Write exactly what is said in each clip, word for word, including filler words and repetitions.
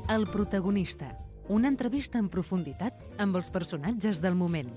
El protagonista. Una entrevista en profunditat amb els personatges del moment.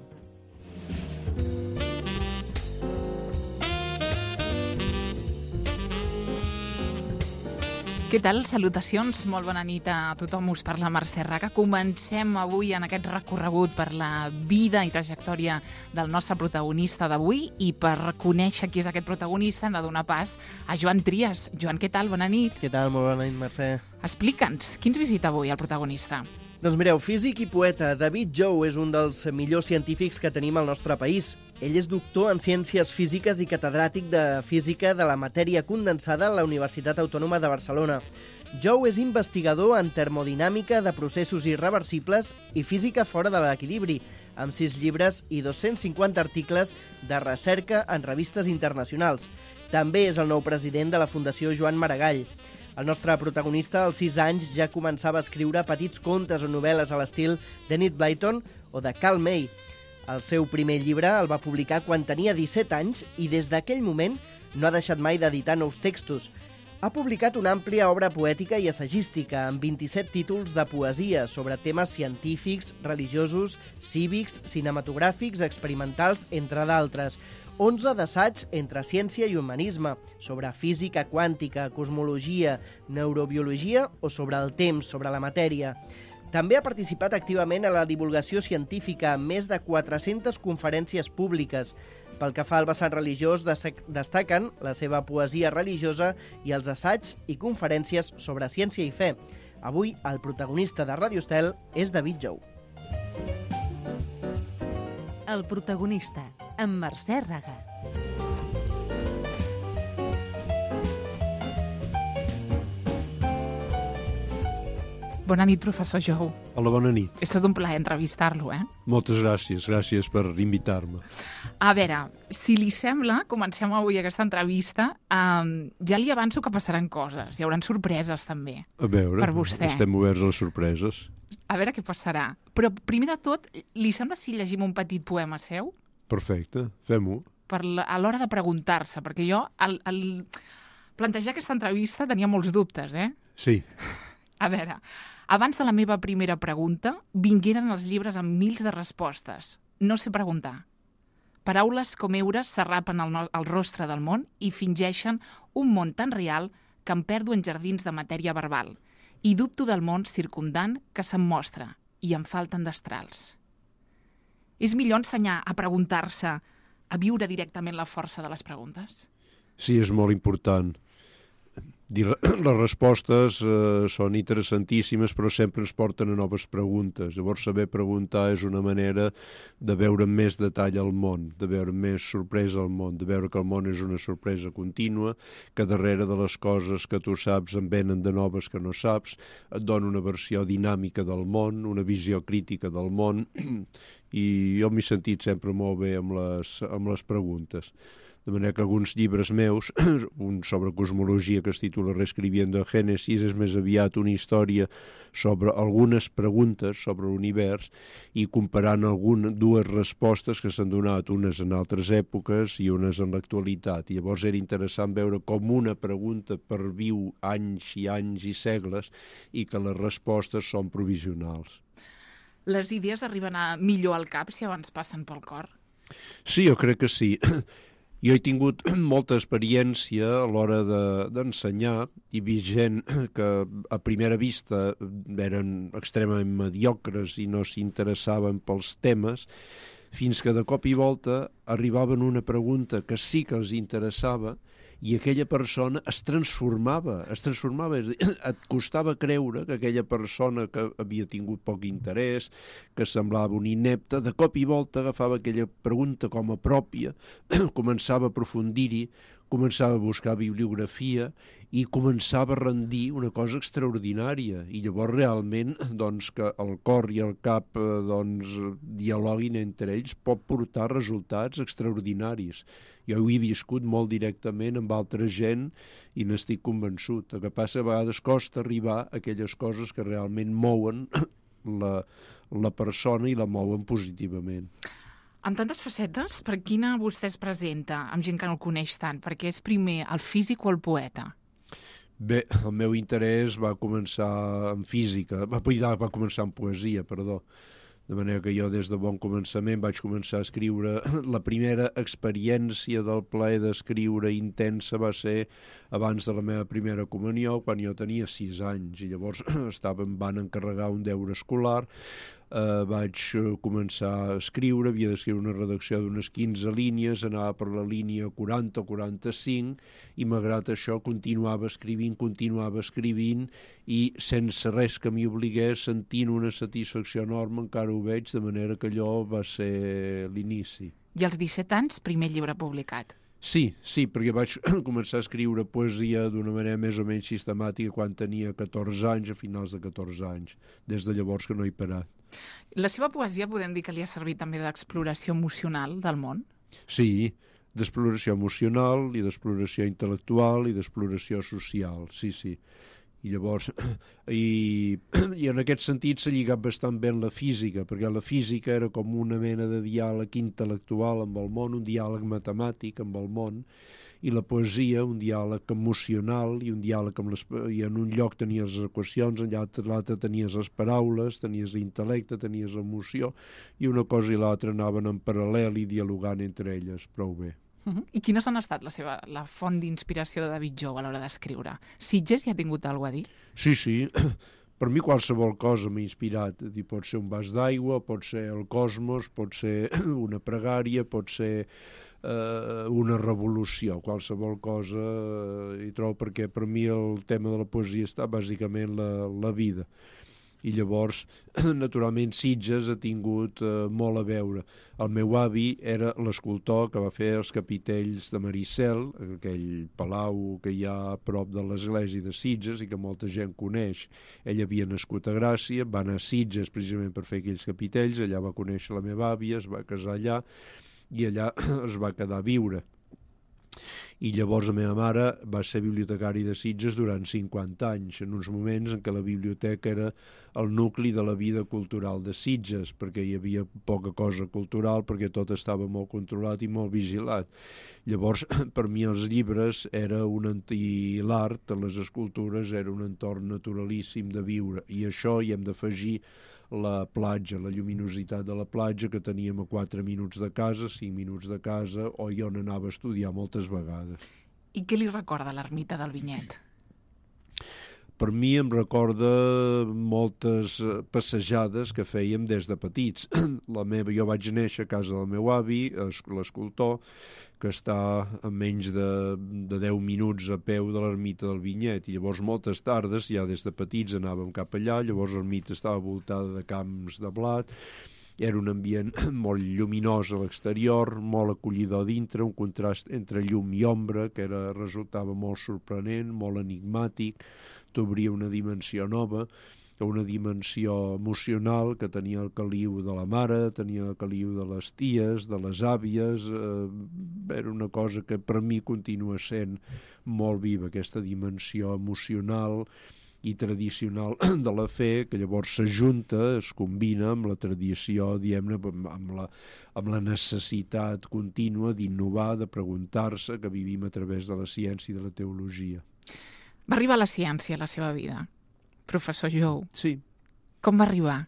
Què tal? Salutacions, molt bona nit a tothom. Us parla Mercè Raga. Comencem avui en aquest recorregut per la vida i trajectòria del nostre protagonista d'avui, i per conèixer qui és aquest protagonista hem de donar pas a Joan Trias. Joan, què tal? Bona nit. Què tal? Molt bona nit, Mercè. Explica'ns, qui ens visita avui el protagonista? Doncs mireu, físic i poeta, David Jou és un dels millors científics que tenim al nostre país. Ell és doctor en Ciències Físiques i catedràtic de Física de la Matèria Condensada a la Universitat Autònoma de Barcelona. Jou és investigador en termodinàmica de processos irreversibles i física fora de l'equilibri, amb sis llibres i dos-cents cinquanta articles de recerca en revistes internacionals. També és el nou president de la Fundació Joan Maragall. El nostre protagonista, als sis anys, ja començava a escriure petits contes o novel·les a l'estil d'Enid Blyton o de Karl May. El seu primer llibre el va publicar quan tenia disset anys i des d'aquell moment no ha deixat mai d'editar nous textos. Ha publicat una àmplia obra poètica i assagística amb vint-i-set títols de poesia sobre temes científics, religiosos, cívics, cinematogràfics, experimentals, entre d'altres. onze d'assaig entre ciència i humanisme, sobre física quàntica, cosmologia, neurobiologia o sobre el temps, sobre la matèria. També ha participat activament a la divulgació científica amb més de quatre-centes conferències públiques. Pel que fa al vessant religiós, destaquen la seva poesia religiosa i els assaigs i conferències sobre ciència i fe. Avui, el protagonista de Radio Estel és David Jou. El protagonista, amb Mercè Raga. Bona nit, professor Jou. Hola, bona nit. És tot un plaer entrevistar-lo, eh? Moltes gràcies, gràcies per invitar-me. A veure, si li sembla, comencem avui aquesta entrevista. Um, ja li avanço que passaran coses, hi haurà sorpreses també. A veure, per vostè. Estem oberts a les sorpreses. A veure què passarà. Però primer de tot, li sembla si llegim un petit poema seu? Perfecte, fem-ho. Per la, a l'hora de preguntar-se, perquè jo al, al plantejar aquesta entrevista tenia molts dubtes, eh? Sí. A veure, abans de la meva primera pregunta, vingueren els llibres amb mils de respostes. No sé preguntar. Paraules com eures s'arrapen al, no, al rostre del món i fingeixen un món tan real que em perdo en jardins de matèria verbal i dubto del món circumdant que se'm mostra i em falten destrals. És millor ensenyar a preguntar-se, a viure directament la força de les preguntes? Sí, és molt important. Les respostes eh, són interessantíssimes, però sempre ens porten a noves preguntes. Llavors, saber preguntar és una manera de veure amb més detall el món, de veure més sorpresa al món, de veure que el món és una sorpresa contínua, que darrere de les coses que tu saps en venen de noves que no saps, et dona una versió dinàmica del món, una visió crítica del món, i jo m'he sentit sempre molt bé amb les, amb les preguntes. De manera que alguns llibres meus, un sobre cosmologia que es titula Reescribiendo Génesis, és més aviat una història sobre algunes preguntes sobre l'univers i comparant algunes, dues respostes que s'han donat, unes en altres èpoques i unes en l'actualitat. I llavors era interessant veure com una pregunta perviu anys i anys i segles i que les respostes són provisionals. Les idees arriben a millor al cap si abans passen pel cor? Sí, jo crec que sí. Jo he tingut molta experiència a l'hora de, d'ensenyar i vist gent que a primera vista eren extremament mediocres i no s'interessaven pels temes, fins que de cop i volta arribaven una pregunta que sí que els interessava i aquella persona es transformava, es transformava, et costava creure que aquella persona que havia tingut poc interès, que semblava un inepte, de cop i volta agafava aquella pregunta com a pròpia, començava a aprofundir-hi, començava a buscar bibliografia i començava a rendir una cosa extraordinària. I llavors realment doncs, que el cor i el cap doncs, dialoguin entre ells pot portar resultats extraordinaris. Jo ho he viscut molt directament amb altra gent i n'estic convençut. El que passa a vegades costa arribar a aquelles coses que realment mouen la, la persona i la mouen positivament. Amb tantes facetes, per quina vostè es presenta amb gent que no el coneix tant? Perquè és primer el físic o el poeta? Bé, el meu interès va començar en física, va, va començar en poesia, perdó. De manera que jo des de bon començament vaig començar a escriure. La primera experiència del plaer d'escriure intensa va ser abans de la meva primera comunió, quan jo tenia sis anys, i llavors estava, em van encarregar un deure escolar. Uh, vaig començar a escriure, havia d'escriure una redacció d'unes quinze línies, anava per la línia quaranta o quaranta-cinc, i malgrat això continuava escrivint, continuava escrivint, i sense res que m'hi obligués, sentint una satisfacció enorme, encara ho veig, de manera que allò va ser l'inici. I als disset anys, primer llibre publicat. Sí, sí, perquè vaig començar a escriure poesia d'una manera més o menys sistemàtica quan tenia catorze anys, a finals de catorze anys. Des de llavors que no he parat. La seva poesia podem dir que li ha servit també d'exploració emocional del món? Sí, d'exploració emocional i d'exploració intel·lectual i d'exploració social, sí, sí. I llavors, i, i en aquest sentit s'ha lligat bastant bé amb la física, perquè la física era com una mena de diàleg intel·lectual amb el món, un diàleg matemàtic amb el món, i la poesia, un diàleg emocional, i un diàleg amb les... i en un lloc tenies les equacions, en l'altre tenies les paraules, tenies l'intel·lecte, tenies l'emoció, i una cosa i l'altra anaven en paral·lel i dialogant entre elles prou bé. Uh-huh. I quines han estat la seva la font d'inspiració de David Jou a l'hora d'escriure? Sitges hi ha tingut alguna cosa a dir? Sí, sí. Per mi qualsevol cosa m'ha inspirat. Pot ser un vas d'aigua, pot ser el cosmos, pot ser una pregària, pot ser eh, una revolució. Qualsevol cosa eh, hi trobo, perquè per mi el tema de la poesia està bàsicament la, la vida. I llavors, naturalment, Sitges ha tingut eh, molt a veure. El meu avi era l'escultor que va fer els capitells de Maricel, aquell palau que hi ha a prop de l'església de Sitges i que molta gent coneix. Ell havia nascut a Gràcia, va anar a Sitges precisament per fer aquells capitells, allà va conèixer la meva àvia, es va casar allà i allà es va quedar a viure. I llavors la meva mare va ser bibliotecari de Sitges durant cinquanta anys, en uns moments en què la biblioteca era el nucli de la vida cultural de Sitges, perquè hi havia poca cosa cultural, perquè tot estava molt controlat i molt vigilat. Llavors, per mi els llibres era un i l'art, les escultures, era un entorn naturalíssim de viure, i això hi hem d'afegir la platja, la lluminositat de la platja, que teníem a quatre minuts de casa, cinc minuts de casa, o jo n'anava a estudiar moltes vegades. I què li recorda l'ermita del Vinyet? Per mi em recorda moltes passejades que fèiem des de petits. La meva, jo vaig néixer a casa del meu avi, l'escultor, que està a menys de, de deu minuts a peu de l'ermita del Vinyet, i llavors moltes tardes, ja des de petits anàvem cap allà, llavors l'ermita estava voltada de camps de blat, era un ambient molt lluminós a l'exterior, molt acollidor dintre, un contrast entre llum i ombra que era, resultava molt sorprenent, molt enigmàtic, t'obria una dimensió nova, una dimensió emocional que tenia el caliu de la mare, tenia el caliu de les ties, de les àvies, eh, era una cosa que per mi continua sent molt viva, aquesta dimensió emocional i tradicional de la fe, que llavors s'ajunta, es combina amb la tradició, diguem-ne, amb la, amb la necessitat contínua d'innovar, de preguntar-se, que vivim a través de la ciència i de la teologia. Va arribar la ciència a la seva vida, professor Jou. Sí. Com va arribar?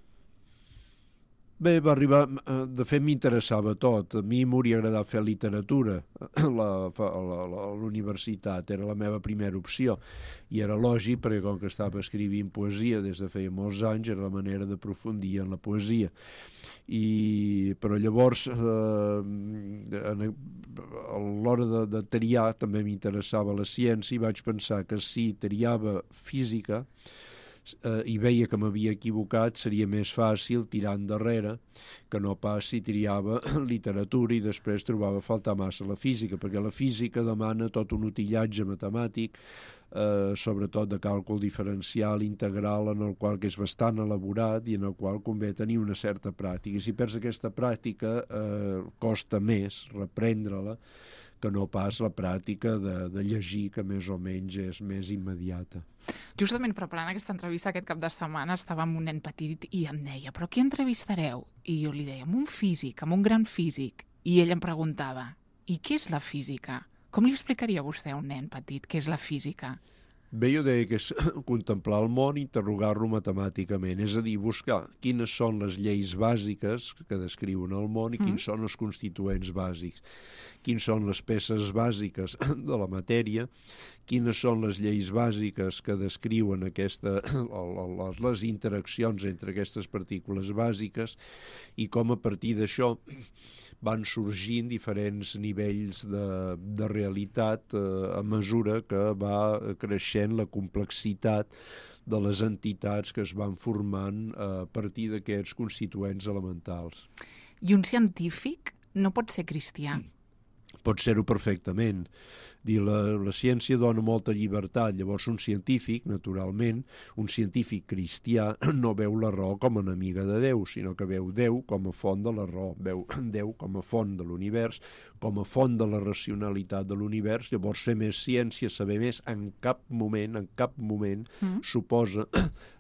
Bé, va arribar... De fet, m'interessava tot. A mi m'hauria agradat fer literatura a la, a la, a l'universitat. Era la meva primera opció. I era lògic, perquè com que estava escrivint poesia des de feia molts anys, era la manera d'aprofundir en la poesia. I, però llavors, eh, a l'hora de, de triar, també m'interessava la ciència, i vaig pensar que si triava física, eh, i veia que m'havia equivocat, seria més fàcil tirar endarrere que no pas si triava literatura i després trobava a faltar massa la física, perquè la física demana tot un utillatge matemàtic, eh, sobretot de càlcul diferencial integral, en el qual que és bastant elaborat i en el qual convé tenir una certa pràctica. I si perds aquesta pràctica, eh, costa més reprendre-la que no pas la pràctica de, de llegir, que més o menys és més immediata. Justament preparant aquesta entrevista aquest cap de setmana estava amb un nen petit i em deia, però qui entrevistareu? I jo li deia, amb un físic, amb un gran físic. I ell em preguntava, i què és la física? Com li explicaria vostè a un nen petit què és la física? Bé, jo deia que és contemplar el món, interrogar-lo matemàticament, és a dir, buscar quines són les lleis bàsiques que descriuen el món i quins mm. són els constituents bàsics, quins són les peces bàsiques de la matèria, quines són les lleis bàsiques que descriuen aquesta, les, les interaccions entre aquestes partícules bàsiques i com a partir d'això van sorgint diferents nivells de, de realitat eh, a mesura que va creixent la complexitat de les entitats que es van formant a partir d'aquests constituents elementals. I un científic no pot ser cristià? Pot ser-ho perfectament. Dir, la, la ciència dona molta llibertat, llavors un científic, naturalment, un científic cristià no veu la raó com a enemiga de Déu, sinó que veu Déu com a font de la raó, veu Déu com a font de l'univers, com a font de la racionalitat de l'univers, llavors fer més ciència, saber més, en cap moment, en cap moment, mm. suposa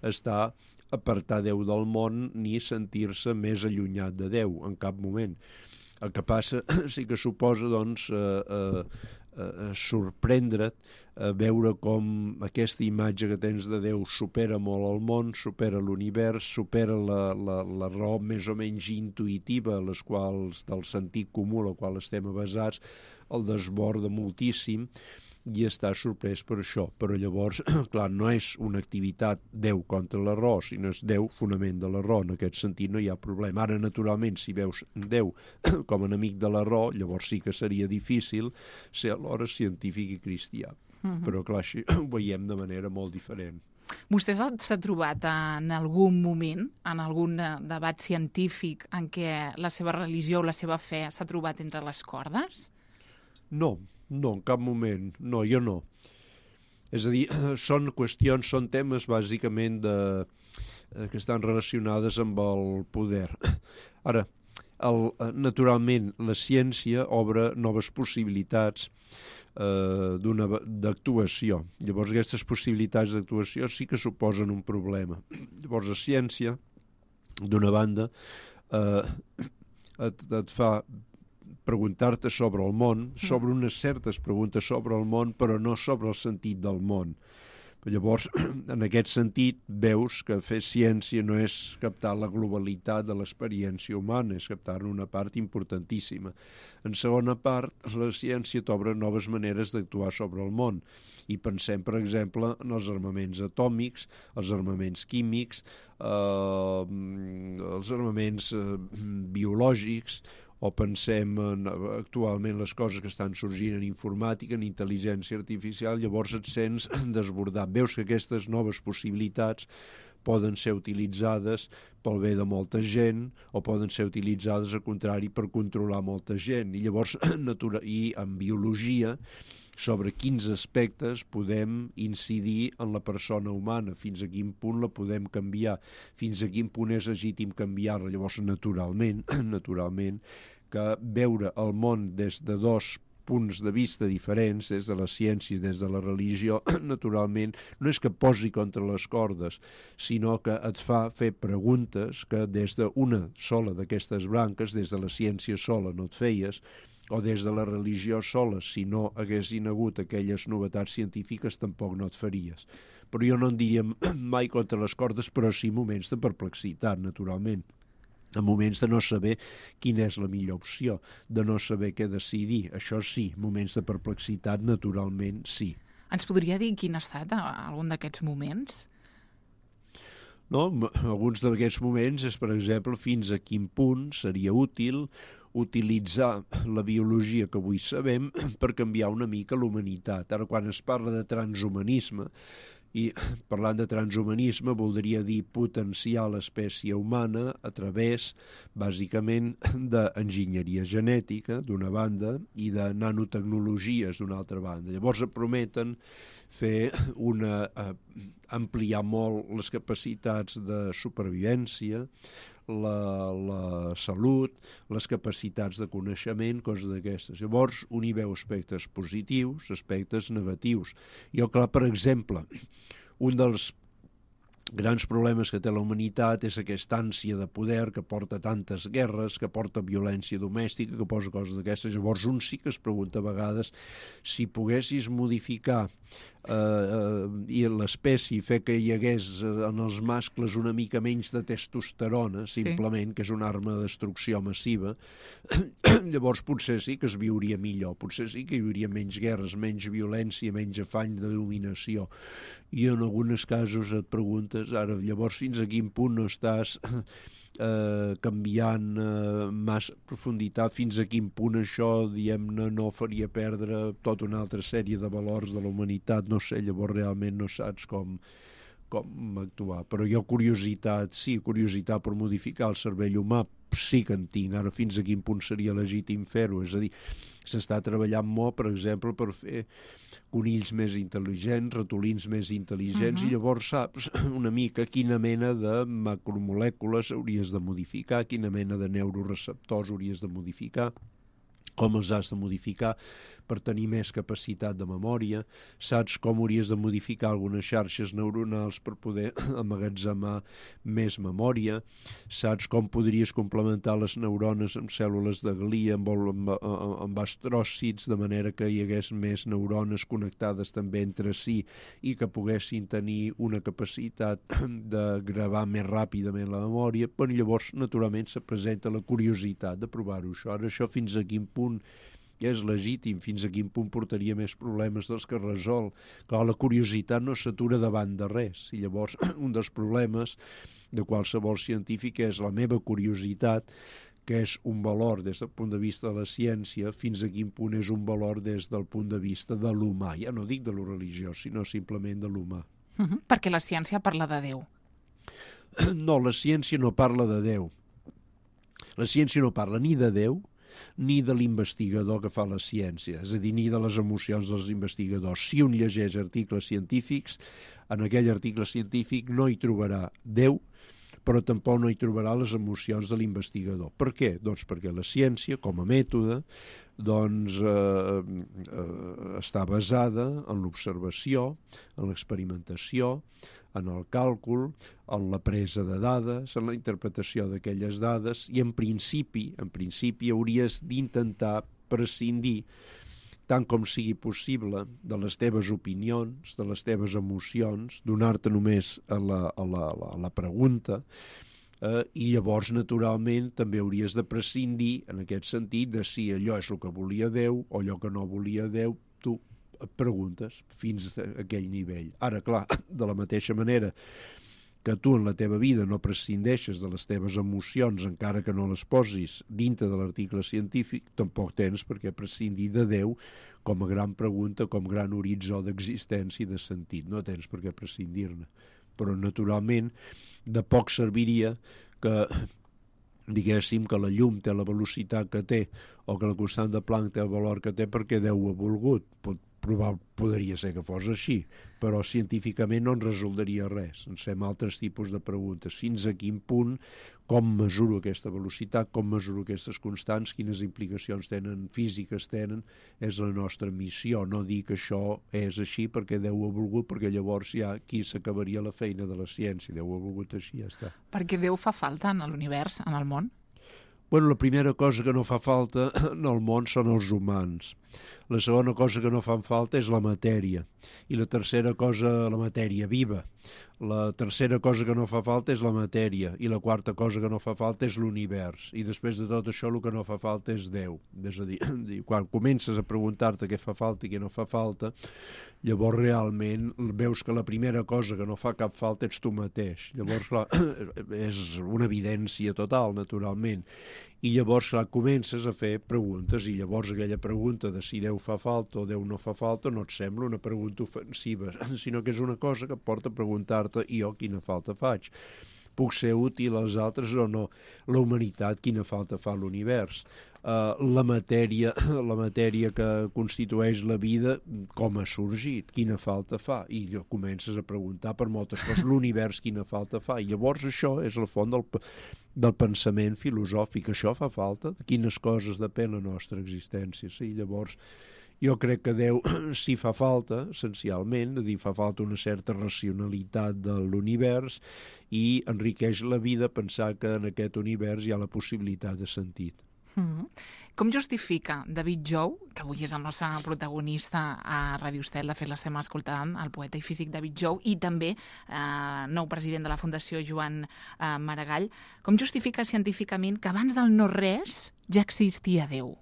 estar apartar Déu del món ni sentir-se més allunyat de Déu, en cap moment. El que passa sí que suposa, doncs, eh, eh, eh, sorprendre't, eh, veure com aquesta imatge que tens de Déu supera molt el món, supera l'univers, supera la, la, la raó més o menys intuïtiva, les quals, del sentit comú a la qual estem avasats, el desborda moltíssim, i està sorprès per això. Però llavors, clar, no és una activitat Déu contra la raó, sinó és Déu fonament de la raó. En aquest sentit no hi ha problema. Ara, naturalment, si veus Déu com a enemic de la raó, llavors sí que seria difícil ser alhora científic i cristià. Uh-huh. Però, clar, així ho veiem de manera molt diferent. Vostè s'ha trobat en algun moment, en algun debat científic, en què la seva religió o la seva fe s'ha trobat entre les cordes? No, no, en cap moment. No, jo no. És a dir, són qüestions, són temes bàsicament de, que estan relacionades amb el poder. Ara, el, naturalment, la ciència obre noves possibilitats eh, d'una d'actuació. Llavors, aquestes possibilitats d'actuació sí que suposen un problema. Llavors, la ciència, d'una banda, eh, et, et fa preguntar-te sobre el món, sobre unes certes preguntes sobre el món, però no sobre el sentit del món. Llavors, en aquest sentit, veus que fer ciència no és captar la globalitat de l'experiència humana, és captar una part importantíssima. En segona part, la ciència t'obre noves maneres d'actuar sobre el món. I pensem, per exemple, en els armaments atòmics, els armaments químics, eh, els armaments eh, biològics, o pensem en, actualment, les coses que estan sorgint en informàtica, en intel·ligència artificial, llavors et sents desbordat. Veus que aquestes noves possibilitats poden ser utilitzades pel bé de molta gent o poden ser utilitzades, al contrari, per controlar molta gent. I llavors, natura, i en biologia, sobre quins aspectes podem incidir en la persona humana, fins a quin punt la podem canviar, fins a quin punt és legítim canviar-la. Llavors, naturalment, naturalment, que veure el món des de dos punts de vista diferents, des de la ciència i des de la religió, naturalment, no és que posi contra les cordes, sinó que et fa fer preguntes que des d'una sola d'aquestes branques, des de la ciència sola no et feies, o des de la religió sola, si no haguessin hagut aquelles novetats científiques, tampoc no et faries. Però jo no en diria mai contra les cordes, però sí moments de perplexitat, naturalment. En moments de no saber quina és la millor opció, de no saber què decidir. Això sí, moments de perplexitat, naturalment, sí. Ens podria dir quin ha estat algun d'aquests moments? No, alguns d'aquests moments és, per exemple, fins a quin punt seria útil utilitzar la biologia que avui sabem per canviar una mica l'humanitat. Ara, quan es parla de transhumanisme, i parlant de transhumanisme voldria dir potenciar l'espècie humana a través, bàsicament, d'enginyeria genètica, d'una banda, i de nanotecnologies, d'una altra banda. Llavors prometen fer una, eh, ampliar molt les capacitats de supervivència, la, la salut, les capacitats de coneixement, coses d'aquestes. Llavors, un hi veu aspectes positius, aspectes negatius. Jo, clar, per exemple, un dels grans problemes que té la humanitat és aquesta ànsia de poder que porta tantes guerres, que porta violència domèstica, que posa coses d'aquestes. Llavors un sí que es pregunta a vegades si poguessis modificar eh, eh, i l'espècie fer que hi hagués en els mascles una mica menys de testosterona, simplement, sí, que és una arma de destrucció massiva, llavors potser sí que es viuria millor, potser sí que hi hauria menys guerres, menys violència, menys afany de dominació. I en alguns casos et preguntes, ara, llavors fins a quin punt no estàs eh, canviant eh, massa profunditat, fins a quin punt això, diguem-ne, no faria perdre tota una altra sèrie de valors de la humanitat, no sé, llavors realment no saps com, com actuar. Però jo curiositat, sí, curiositat per modificar el cervell humà, sí que en tinc. Ara fins a quin punt seria legítim fer-ho? És a dir, s'està treballant molt, per exemple, per fer conills més intel·ligents, ratolins més intel·ligents, uh-huh. i llavors saps una mica quina mena de macromolècules hauries de modificar, quina mena de neuroreceptors hauries de modificar, com els has de modificar per tenir més capacitat de memòria, saps com hauries de modificar algunes xarxes neuronals per poder emmagatzemar més memòria, saps com podries complementar les neurones amb cèl·lules de glia, amb, amb, amb, amb astròcits, de manera que hi hagués més neurones connectades també entre si i que poguessin tenir una capacitat de gravar més ràpidament la memòria. Però llavors, naturalment, se presenta la curiositat de provar-ho això. Ara, això fins a quin punt és legítim, fins a quin punt portaria més problemes dels que resol. Clar, la curiositat no s'atura davant de res, i llavors un dels problemes de qualsevol científic és la meva curiositat, que és un valor des del punt de vista de la ciència, fins a quin punt és un valor des del punt de vista de l'humà. Ja no dic de lo religiós, sinó simplement de l'humà. Uh-huh. Perquè la ciència parla de Déu. No, la ciència no parla de Déu. La ciència no parla ni de Déu, ni de l'investigador que fa la ciència, és a dir, ni de les emocions dels investigadors. Si un llegeix articles científics, en aquell article científic no hi trobarà Déu, però tampoc no hi trobarà les emocions de l'investigador. Per què? Doncs perquè la ciència, com a mètode, doncs, eh, eh, està basada en l'observació, en l'experimentació, en el càlcul, en la presa de dades, en la interpretació d'aquelles dades, i en principi, en principi hauries d'intentar prescindir, tant com sigui possible, de les teves opinions, de les teves emocions, donar-te només a la, a la, a la, a la pregunta, eh, i llavors, naturalment, també hauries de prescindir, en aquest sentit, de si allò és el que volia Déu o allò que no volia Déu, tu et preguntes fins a aquell nivell. Ara, clar, de la mateixa manera que tu en la teva vida no prescindeixes de les teves emocions encara que no les posis dintre de l'article científic, tampoc tens per què prescindir de Déu com a gran pregunta, com gran horitzó d'existència i de sentit. No tens per què prescindir-ne. Però, naturalment, de poc serviria que diguéssim que la llum té la velocitat que té o que la constant de Planck té el valor que té perquè Déu ho ha volgut. Pot, provar, podria ser que fos així, però científicament no ens resoldria res. Ens fem altres tipus de preguntes. Fins a quin punt, com mesuro aquesta velocitat, com mesuro aquestes constants, quines implicacions tenen, físiques tenen, és la nostra missió. No dir que això és així perquè Déu ho ha volgut, perquè llavors ja aquí s'acabaria la feina de la ciència. Déu ho ha volgut així, ja està. Perquè Déu fa falta en l'univers, en el món? Bueno, la primera cosa que no fa falta en el món són els humans. La segona cosa que no fan falta és la matèria. I la tercera cosa, la matèria viva. La tercera cosa que no fa falta és la matèria. I la quarta cosa que no fa falta és l'univers. I després de tot això el que no fa falta és Déu. És a dir, quan comences a preguntar-te què fa falta i què no fa falta, llavors realment veus que la primera cosa que no fa cap falta ets tu mateix. Llavors, clar, és una evidència total, naturalment. I llavors, clar, comences a fer preguntes i llavors aquella pregunta de si Déu fa falta o Déu no fa falta no et sembla una pregunta ofensiva, sinó que és una cosa que et porta a preguntar-te i jo quina falta faig. Puc ser útil als altres o no? La humanitat, quina falta fa a l'univers? Uh, la matèria, la matèria que constitueix la vida, com ha sorgit? Quina falta fa? I comences a preguntar per moltes coses. L'univers, quina falta fa? I llavors això és la font del, del pensament filosòfic. Això fa falta? De quines coses depèn la nostra existència? Sí, llavors jo crec que Déu sí fa falta, essencialment, és a dir, fa falta una certa racionalitat de l'univers i enriqueix la vida pensar que en aquest univers hi ha la possibilitat de sentit. Mm-hmm. Com justifica David Jou, que avui és el nostre protagonista a Ràdio Estel, de fet l'estem escoltant, el poeta i físic David Jou, i també eh, nou president de la Fundació Joan eh, Maragall, com justifica científicament que abans del no-res ja existia Déu?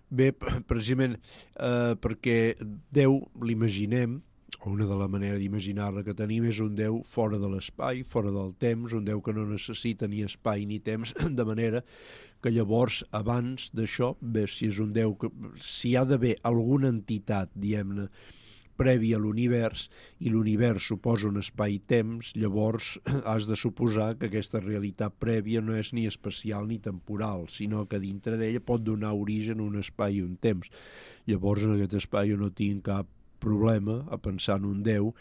Bé, precisament eh, perquè Déu l'imaginem, o una de la manera d'imaginar-la que tenim és un Déu fora de l'espai, fora del temps, un Déu que no necessita ni espai ni temps, de manera que llavors, abans d'això, bé, si és un Déu que... si hi ha d'haver alguna entitat, diguem-ne, prèvia a l'univers, i l'univers suposa un espai-temps, llavors has de suposar que aquesta realitat prèvia no és ni espacial ni temporal, sinó que dintre d'ella pot donar origen a un espai i un temps. Llavors, en aquest espai jo no tinc cap problema a pensar en un Déu,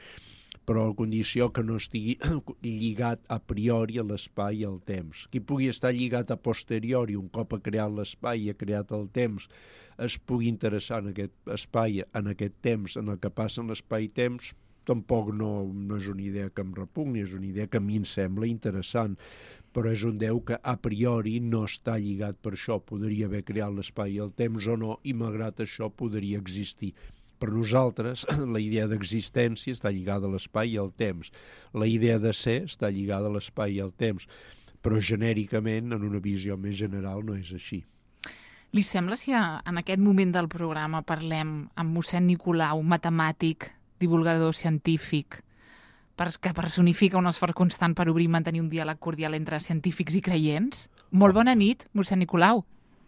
però a condició que no estigui lligat a priori a l'espai i al temps. Qui pugui estar lligat a posteriori, un cop ha creat l'espai i ha creat el temps, es pugui interessar en aquest espai, en aquest temps, en el que passa en l'espai i temps, tampoc no, no és una idea que em repugni, és una idea que a mi em sembla interessant, però és un Déu que a priori no està lligat per això, podria haver creat l'espai i el temps o no, i malgrat això podria existir. Per nosaltres, la idea d'existència està lligada a l'espai i al temps. La idea de ser està lligada a l'espai i al temps, però genèricament, en una visió més general, no és així. Li sembla si en aquest moment del programa parlem amb mossèn Nicolau, matemàtic, divulgador científic, que personifica un esforç constant per obrir i mantenir un diàleg cordial entre científics i creients? Molt bona nit, mossèn Nicolau.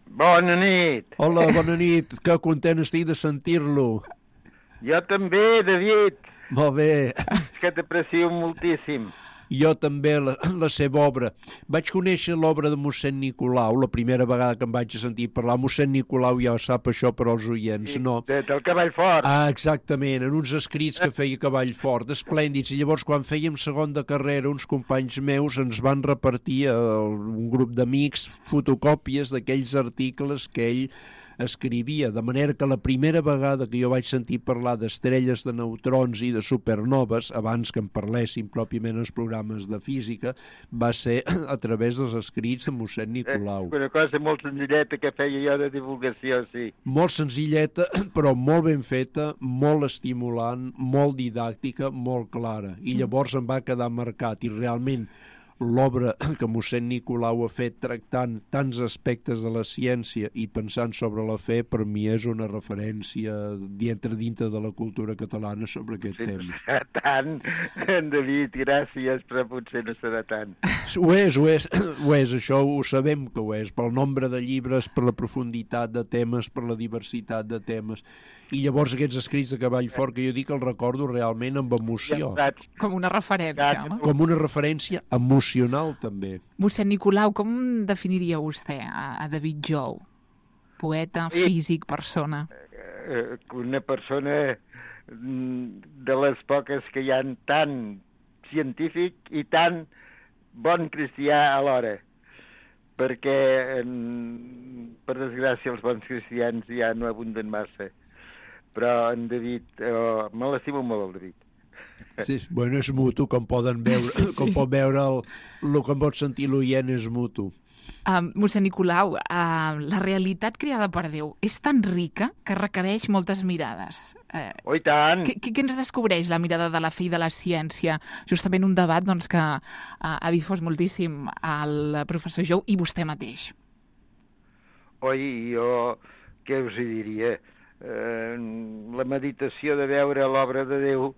Bona nit. Hola, bona nit. Que content estic de sentir-lo. Jo també, David. Molt bé. És que t'aprecio moltíssim. Jo també, la, la seva obra. Vaig conèixer l'obra de mossèn Nicolau, la primera vegada que em vaig sentir parlar. Mossèn Nicolau ja sap això per als oients, no? Del Cavall Fort. Ah, exactament, en uns escrits que feia Cavall Fort, esplèndids. I llavors, quan fèiem segon de carrera, uns companys meus ens van repartir a un grup d'amics fotocòpies d'aquells articles que ell escrivia, de manera que la primera vegada que jo vaig sentir parlar d'estrelles, de neutrons i de supernoves, abans que em parlessin pròpiament els programes de física, va ser a través dels escrits de mossèn Nicolau. Una cosa molt senzilleta que feia jo de divulgació, sí. Molt senzilleta, però molt ben feta, molt estimulant, molt didàctica, molt clara. I llavors em va quedar marcat, i realment l'obra que mossèn Nicolau ha fet tractant tants aspectes de la ciència i pensant sobre la fe, per mi és una referència dintre dintre de la cultura catalana sobre aquest sí, tema. No serà tant, en David, gràcies, però potser no serà tant. Ho és, ho és, ho és, això ho sabem que ho és, pel nombre de llibres, per la profunditat de temes, per la diversitat de temes. I llavors aquests escrits de Cavall Fort, que jo dic que els recordo realment amb emoció. Com una referència, home. Com una referència emocional, també. Mossèn Nicolau, com definiria vostè a, a David Jou? Poeta, físic, persona? Una persona de les poques que hi ha tan científic i tan bon cristià alhora. Perquè, per desgràcia, els bons cristians ja no abunden massa. Però en David, oh, me l'estimo molt, el David. Sí, bueno, és mutu, com poden veure, sí, sí. Com pot veure el, el que pot sentir l'oient és mutu. Um, mossèn Nicolau, uh, la realitat creada per Déu és tan rica que requereix moltes mirades. Uh, oh, i tant! Què, què ens descobreix la mirada de la fe i de la ciència? Justament un debat doncs, que uh, ha difós moltíssim el professor Jou i vostè mateix. Oi, jo què us hi diria? Uh, la meditació de veure l'obra de Déu,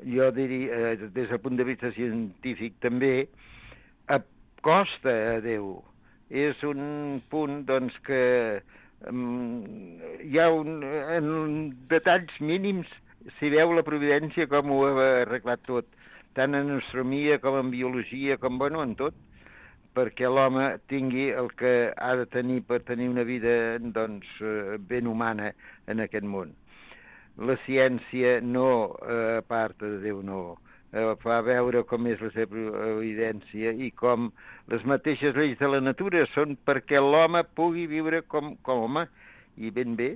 jo diria, uh, des del punt de vista científic també, acosta a Déu. És un punt, doncs, que um, hi ha un, en detalls mínims s'hi veu la providència com ho ha arreglat tot, tant en astronomia com en biologia, com, bueno, en tot, perquè l'home tingui el que ha de tenir per tenir una vida, doncs, ben humana en aquest món. La ciència no eh, aparta de Déu, no. Eh, fa veure com és la seva evidència i com les mateixes lleis de la natura són perquè l'home pugui viure com, com home, i ben bé.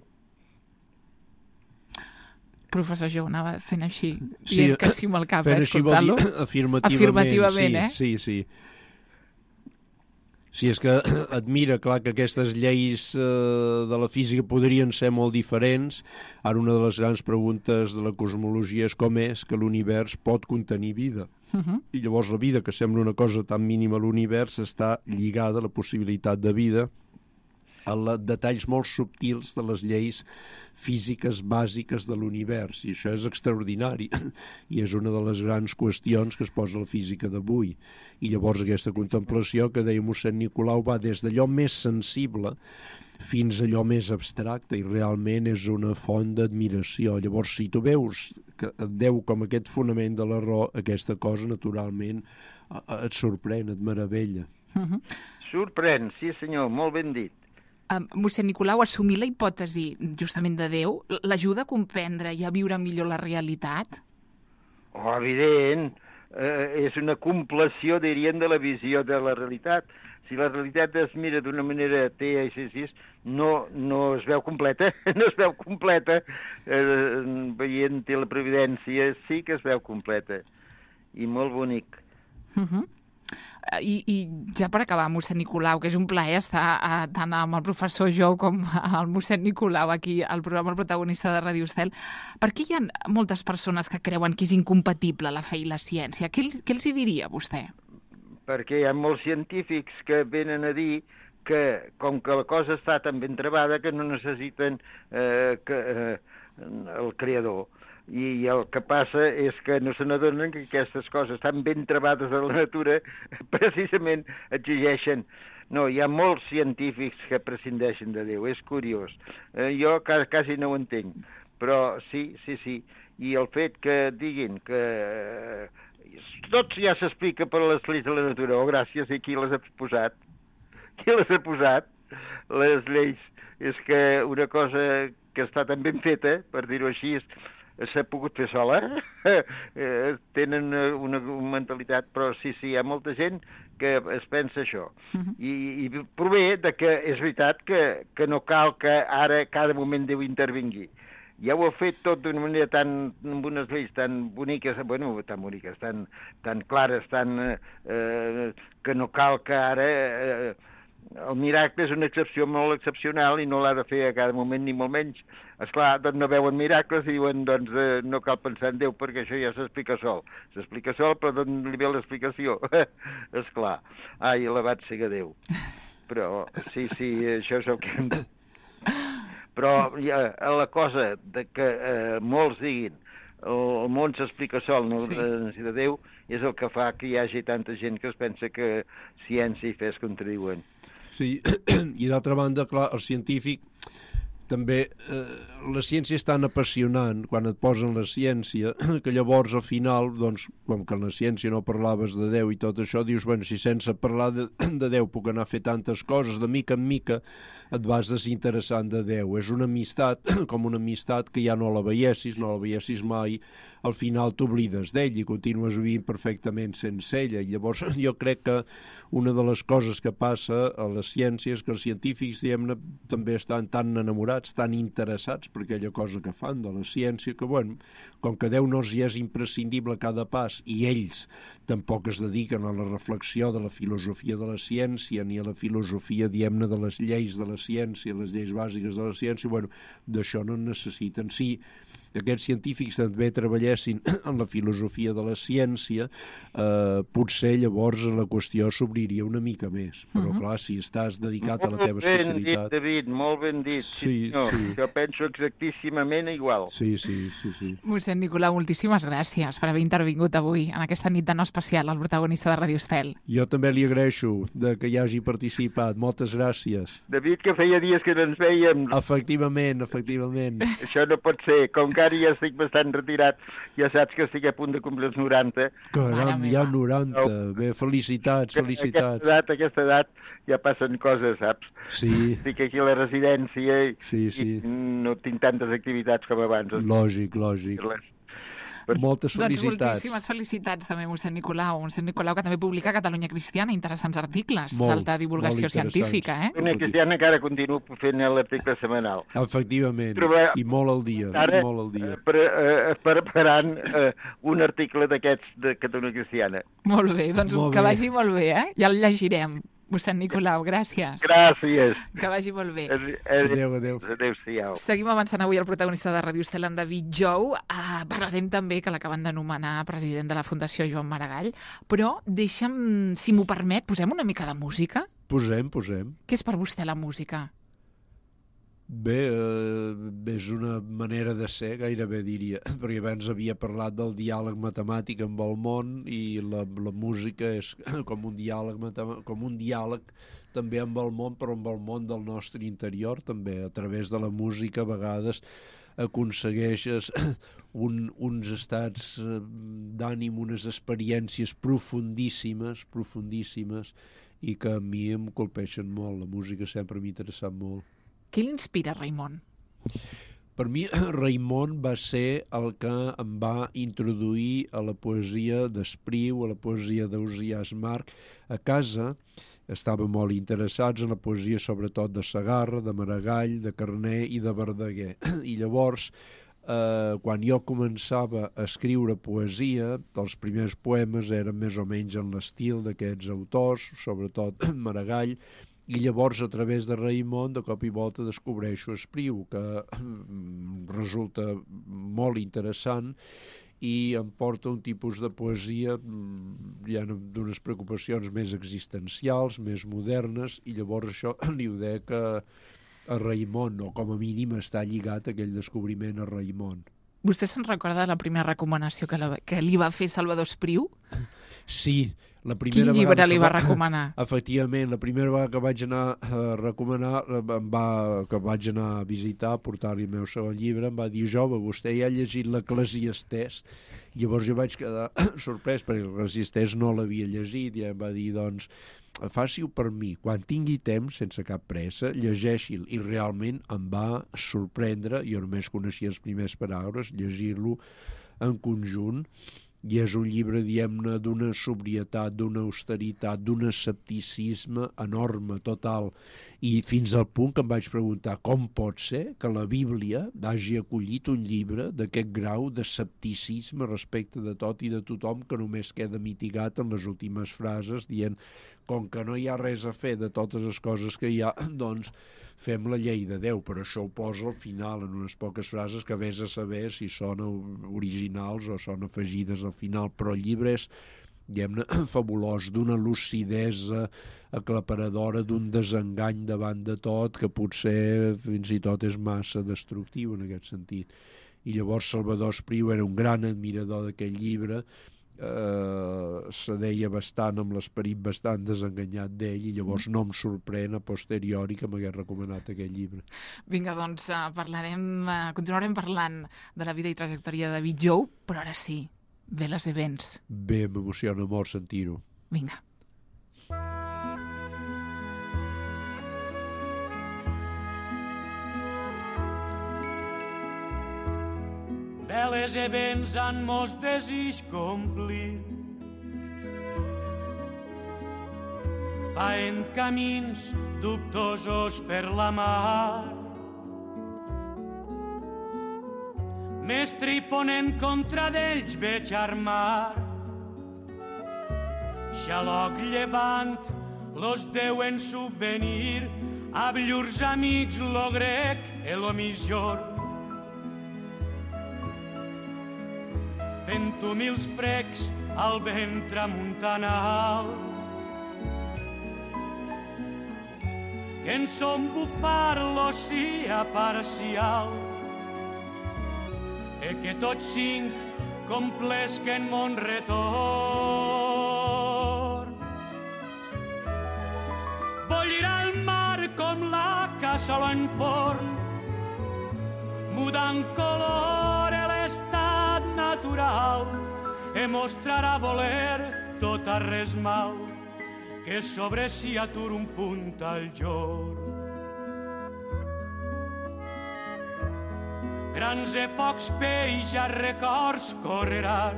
Professor Jou anava fent així, sí, dient que sí amb el cap, fent eh, així vol dir escoltant-lo. afirmativament, Afirmativament, sí, eh? sí, sí. Si és que admira, clar, que aquestes lleis eh, de la física podrien ser molt diferents. Ara una de les grans preguntes de la cosmologia és com és que l'univers pot contenir vida. Uh-huh. I llavors la vida, que sembla una cosa tan mínima a l'univers, està lligada a la possibilitat de vida a la, detalls molt subtils de les lleis físiques bàsiques de l'univers, i això és extraordinari i és una de les grans qüestions que es posa a la física d'avui. I llavors aquesta contemplació que deia mossèn Nicolau va des d'allò més sensible fins a allò més abstracte, i realment és una font d'admiració. Llavors, si tu veus que et deu com aquest fonament de la raó, aquesta cosa naturalment et sorprèn, et meravella. Uh-huh. Sorprèn, sí senyor, molt ben dit. Uh, mossèn Nicolau, assumir la hipòtesi justament de Déu l'ajuda a comprendre i a viure millor la realitat? Oh, evident. Eh, és una compleció, dirien, de la visió de la realitat. Si la realitat es mira d'una manera atea i així, no, no es veu completa, no es veu completa. Eh, veient la previdència sí que es veu completa. I molt bonic. Uh-huh. I, I ja per acabar, mossèn Nicolau, que és un plaer estar uh, tant amb el professor Jou com el mossèn Nicolau aquí al programa El Protagonista de Ràdio Estel, per què hi ha moltes persones que creuen que és incompatible la fe i la ciència? Què, què els hi diria vostè? Perquè hi ha molts científics que venen a dir que, com que la cosa està tan ben trebada, que no necessiten eh, que, eh, el creador. I el que passa és que no se n'adonen que aquestes coses tan ben trebades a la natura precisament exigeixen. No, hi ha molts científics que prescindeixen de Déu, és curiós. Eh, jo quasi no ho entenc, però sí, sí, sí. I el fet que diguin que eh, tot ja s'explica per les lleis de la natura, oh, gràcies, i qui les ha posat? Qui les ha posat? Les lleis. És que una cosa que està tan ben feta, per dir-ho així, s'ha pogut fer sola, eh, tenen una, una mentalitat, però sí, sí, hi ha molta gent que es pensa això. Uh-huh. I, i prové de que és veritat que, que no cal que ara cada moment Déu intervingui. Ja ho ha fet tot d'una manera tan, amb unes lleis tan boniques, bueno, tan boniques, tan, tan clares, tan, eh, que no cal que ara... Eh, el miracle és una excepció molt excepcional i no l'ha de fer a cada moment ni molt menys. Esclar, doncs no veuen miracles i diuen, doncs eh, no cal pensar en Déu perquè això ja s'explica sol. S'explica sol, però d'on li ve l'explicació? Esclar. Ai, alabat siga Déu. Però, sí, sí, això és el que hem de... Però ja, la cosa de que eh, molts diguin el món s'explica sol, no sí. de Déu, és el que fa que hi hagi tanta gent que es pensa que ciència i fe es contradiuen. Sí, i d'altra banda, clar, el científic també, eh, la ciència és tan apassionant quan et posen la ciència que llavors al final, doncs, com que en la ciència no parlaves de Déu i tot això, dius, bueno, si sense parlar de, de Déu puc anar a fer tantes coses, de mica en mica et vas desinteressant de Déu. És una amistat, com una amistat que ja no la veiessis, no la veiessis mai, al final t'oblides d'ell i continues vivint perfectament sense ella. I llavors jo crec que una de les coses que passa a la ciència és que els científics, diguem-ne, també estan tan enamorats, tan interessats per aquella cosa que fan de la ciència, que, bueno, com que Déu no els hi és imprescindible a cada pas i ells tampoc es dediquen a la reflexió de la filosofia de la ciència ni a la filosofia, diguem-ne, de les lleis de la ciència, les lleis bàsiques de la ciència, bueno, d'això no en necessiten. Sí, aquests científics també treballessin en la filosofia de la ciència, eh, potser llavors la qüestió s'obriria una mica més. Però, uh-huh. clar, si estàs dedicat molt a la teva especialitat... Molt ben dit, David, molt ben dit. Sí, sí, no, sí. Jo penso exactíssimament igual. Sí, sí, sí, sí. Mossèn Nicolau, moltíssimes gràcies per haver intervingut avui en aquesta nit de no especial al Protagonista de Ràdio Estel. Jo també li agraeixo de que hi hagi participat. Moltes gràcies. David, que feia dies que no ens veiem. Efectivament, efectivament. Això no pot ser. Com que ara ja estic bastant retirat, ja saps que estic a punt de complir els noranta. Caram, ja noranta. Bé, felicitats, felicitats. Aquesta edat, aquesta edat ja passen coses, saps? Sí. Estic aquí a la residència i, sí, sí. i no tinc tantes activitats com abans. Lògic, lògic. Per... Moltes felicitats. Doncs moltíssimes felicitats també, mossèn Nicolau. Mossèn Nicolau, que també publica a Catalunya Cristiana interessants articles molt, d'alta divulgació científica. Eh? Catalunya Cristiana encara continuo fent l'article setmanal. Efectivament, Trobar... i molt al dia. Ara, i molt al dia. Pre, eh, preparant eh, un article d'aquests de Catalunya Cristiana. Molt bé, doncs molt que bé. Vagi molt bé, eh? Ja el llegirem. Mossèn Nicolau, gràcies. Gràcies. Que vagi molt bé. Adéu, adéu. Adéu-siau. Seguim avançant avui el protagonista de Ràdio Estel, en David Jou. Uh, parlarem també que l'acaben de nomenar president de la Fundació Joan Maragall, però deixa'm, si m'ho permet, posem una mica de música? Posem, posem. Què és per vostè la música? Bé, eh, és una manera de ser, gairebé diria, perquè abans havia parlat del diàleg matemàtic amb el món i la, la música és com un diàleg com un diàleg també amb el món, però amb el món del nostre interior també. A través de la música a vegades aconsegueixes un, uns estats d'ànim, unes experiències profundíssimes, profundíssimes, i que a mi em colpeixen molt. La música sempre m'ha interessat molt. Què l'inspira, Raimon? Per mi, Raimon va ser el que em va introduir a la poesia d'Espriu, a la poesia d'Ausiàs Marc. A casa estàvem molt interessats en la poesia, sobretot de Segarra, de Maragall, de Carner i de Verdaguer. I llavors, eh, quan jo començava a escriure poesia, els primers poemes eren més o menys en l'estil d'aquests autors, sobretot Maragall, i llavors a través de Raimon de cop i volta descobreixo Espriu, que resulta molt interessant i em porta un tipus de poesia ja d'unes preocupacions més existencials, més modernes, i llavors això li ho dec a, a Raimon, o com a mínim està lligat aquell descobriment a Raimon. Vostè se'n recorda de la primera recomanació que, la, que li va fer Salvador Espriu? Sí, la primera Quin llibre li va, va recomanar? Efectivament, la primera vegada que vaig anar a recomanar, em va, que vaig anar a visitar, a portar-li el meu segon llibre, em va dir, jove, vostè ja ha llegit l'Eclesiastès? Llavors jo vaig quedar sorprès, perquè l'Eclesiastès no l'havia llegit, i em va dir, doncs, faci-ho per mi, quan tingui temps, sense cap pressa, llegeixi-l, i realment em va sorprendre, jo només coneixia els primers paràgrafs, llegir-lo en conjunt, i és un llibre, diguem-ne, d'una sobrietat, d'una austeritat, d'un escepticisme enorme, total, i fins al punt que em vaig preguntar com pot ser que la Bíblia hagi acollit un llibre d'aquest grau d'escepticisme respecte de tot i de tothom, que només queda mitigat en les últimes frases, dient, com que no hi ha res a fer de totes les coses que hi ha, doncs fem la llei de Déu, però això ho posa al final en unes poques frases que vés a saber si són originals o són afegides al final, però el llibre és, diguem-ne, fabulós, d'una lucidesa aclaparadora, d'un desengany davant de tot, que potser fins i tot és massa destructiu en aquest sentit. I llavors Salvador Espriu era un gran admirador d'aquest llibre, Uh, se deia bastant amb l'esperit bastant desenganyat d'ell, i llavors no em sorprèn a posteriori que m'hagués recomanat aquest llibre. Vinga, doncs uh, parlarem, uh, continuarem parlant de la vida i trajectòria de David Jou, però ara sí, ve les events. Bé, m'emociona molt sentir-ho. Vinga. Beles events han mos desig complir. Faen camins dubtosos per la mar. Mestre i ponent contra d'ells veig armar. Xaloc llevant los deuen subvenir, ab llurs amics lo grec e lo misjor. Fent humils precs al vent tramuntanal, que en son bufar l'oceà parcial, e que tots cinc complesquen mon retorn. Bollirà el mar com la cassola en forn, mudant color e l'estat natural, e mostrarà voler tot a res mal, que sobre si atur un punt al jorn. Grans e pocs peix a records correran,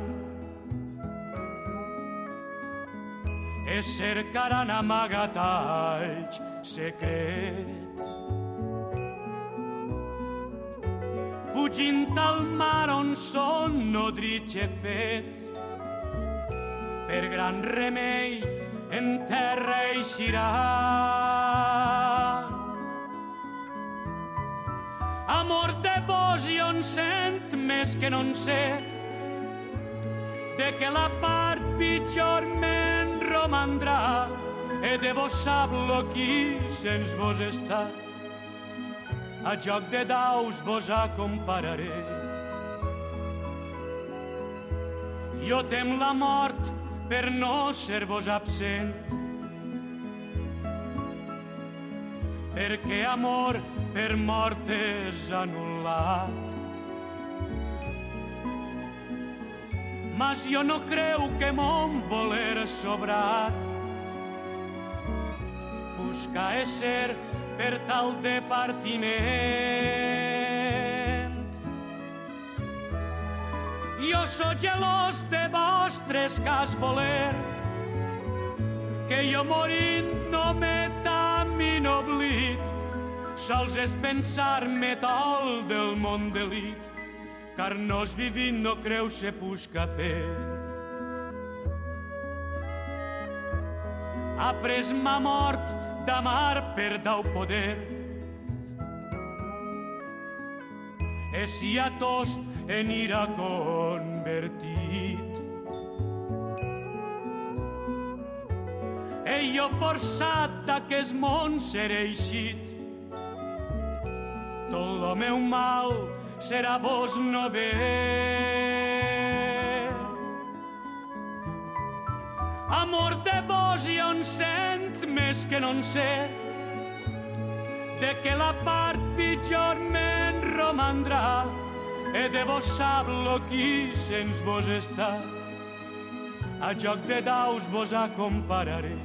e cercaran amagatalls secrets. Fugint al mar on són nodrits e fets, per gran remei en terra eixirà. Amor de vos jo en sent més que no en sé, de que la part pitjor me'n romandrà, e de vos sap-lo qui sens vos està. A joc de daus vos acompararé. Jo tem la mort per no ser-vos absent, perquè amor per mort és anul·lat. Mas jo no creu que mon voler sobrat busca ésser per tal de partiment. Jo sóc gelós de vostres cas voler, que jo morint no m'he tan oblit, sols és pensar-me tol del món delit, car nos vivint no creu se busca fer. Ha pres ma mort d'amar per dau poder, e si a tost en ira convertit. E jo forçat d'aquest món seré eixit, tot lo meu mal serà vos no ver. Amor de vos jo en sent més que no en sé, de que la part pitjor me'n romandrà, e de vos sap-lo qui sens vos està. A joc de daus vos acompararé,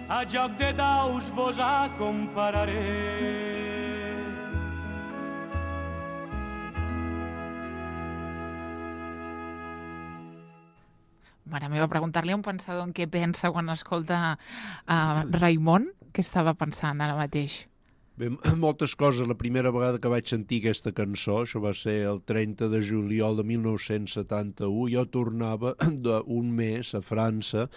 a joc de daus vos acompararé. Mare meva, preguntar-li a un pensador en què pensa quan escolta uh, Raimon, què estava pensant ara mateix? Bé, moltes coses. La primera vegada que vaig sentir aquesta cançó, això va ser el trenta de juliol de mil nou-cents setanta-u, jo tornava d'un mes a França